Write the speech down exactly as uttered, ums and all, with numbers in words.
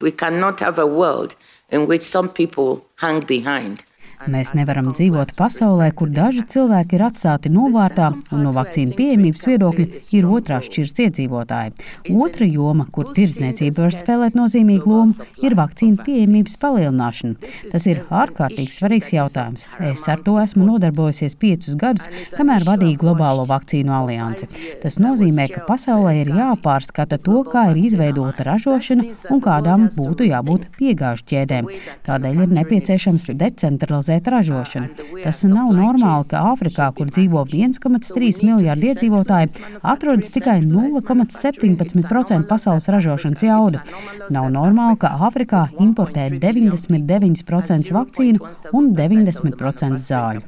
We cannot have a world in which some people hang behind. Mēs nevaram dzīvot pasaulē, kur daži cilvēki ir atstāti novārtā un no vakcīnu pieejamības viedokļa ir otrās šķiras iedzīvotāji. Otra joma, kur tirdzniecība var spēlēt nozīmīgu lomu, ir vakcīnu pieejamības palielināšana. Tas ir ārkārtīgi svarīgs jautājums. Es ar to esmu nodarbojusies piecus gadus, kamēr vadīju globālo vakcīnu aliansi. Tas nozīmē, ka pasaulē ir jāpārskata to, kā ir izveidota ražošana un kādām būtu jābūt piegāžu ķēdēm. Tādēļ ir nepieciešams decentralizēt ražošanu. Tas nav normāli, ka Āfrikā, kur dzīvo viens komats trīs miljārdi iedzīvotāji, atrodas tikai nulle komats septiņpadsmit procenti pasaules ražošanas jauda. Nav normāli, ka Āfrikā importē deviņdesmit deviņi procenti vakcīnu un deviņdesmit procenti zāļu.